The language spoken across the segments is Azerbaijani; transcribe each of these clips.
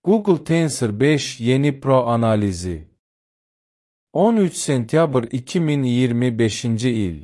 Google Tensor 5 yeni Pro analizi. 13 sentyabr 2025 il.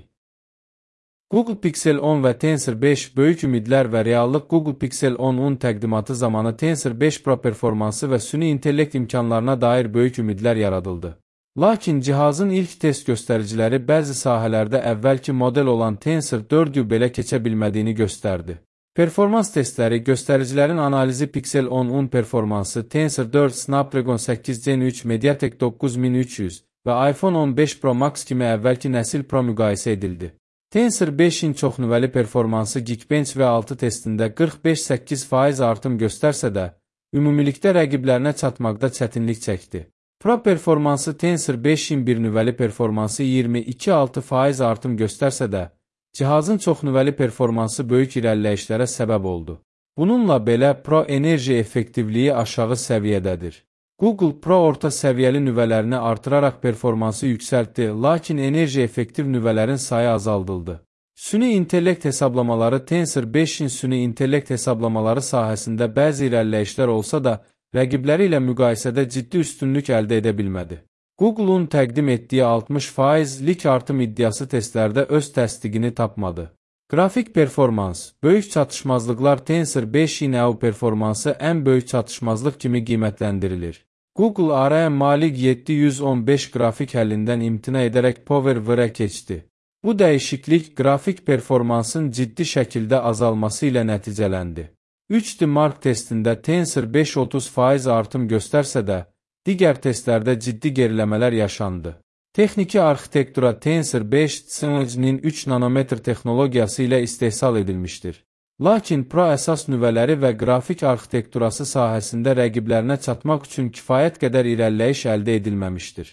Google Pixel 10 və Tensor 5 böyük ümidlər və reallıq. Google Pixel 10'un təqdimatı zamanı Tensor 5 Pro performansı və süni intellekt imkanlarına dair böyük ümidlər yaradıldı. Lakin cihazın ilk test göstəriciləri bəzi sahələrdə əvvəlki model olan Tensor 4'ü belə keçə bilmədiyini göstərdi. Performans testləri göstəricilərin analizi Pixel 10'un performansı Tensor 4, Snapdragon 8 Gen 3, Mediatek 9300 və iPhone 15 Pro Max kimi əvvəlki nəsil Pro müqayisə edildi. Tensor 5'in çoxnüvəli performansı Geekbench V6 testində 45-8% artım göstərsə də, ümumilikdə rəqiblərinə çatmaqda çətinlik çəkdi. Pro performansı Tensor 5'in bir nüvəli performansı 22-6% artım göstərsə də, cihazın çoxnüvəli performansı böyük irəliləyişlərə səbəb oldu. Bununla belə Pro enerji effektivliyi aşağı səviyyədədir. Google Pro orta səviyyəli nüvələrini artıraraq performansı yüksəltdi, lakin enerji effektiv nüvələrin sayı azaldıldı. Süni intellekt hesablamaları Tensor 5'in süni intellekt hesablamaları sahəsində bəzi irəliləyişlər olsa da, rəqibləri ilə müqayisədə ciddi üstünlük əldə edə bilmədi. Google'un təqdim etdiyi 60%lik artım iddiası testlərdə öz təsdiqini tapmadı. Qrafik performans, böyük çatışmazlıqlar Tensor 5'in EU performansı ən böyük çatışmazlıq kimi qiymətləndirilir. Google ARM Mali 715 qrafik həllindən imtina edərək PowerVR-ə keçdi. Bu dəyişiklik qrafik performansın ciddi şəkildə azalması ilə nəticələndi. 3D Mark testində Tensor 5 30% artım göstərsə də, digər testlərdə ciddi geriləmələr yaşandı. Texniki arxitektura Tensor 5 Snapdragon 3 nanometr texnologiyası ilə istehsal edilmişdir. Lakin Pro əsas nüvələri və qrafik arxitekturası sahəsində rəqiblərinə çatmaq üçün kifayət qədər irəliləyiş əldə edilməmişdir.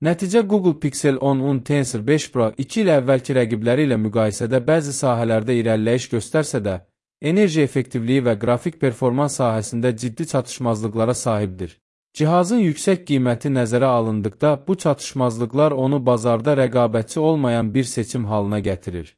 Nəticə Google Pixel 10'un Tensor 5 Pro 2 il əvvəlki rəqibləri ilə müqayisədə bəzi sahələrdə irəliləyiş göstərsə də, enerji effektivliyi və qrafik performans sahəsində ciddi çatışmazlıqlara sahibdir. Cihazın yüksək qiyməti nəzərə alındıqda, bu çatışmazlıqlar onu bazarda rəqabətçi olmayan bir seçim halına gətirir.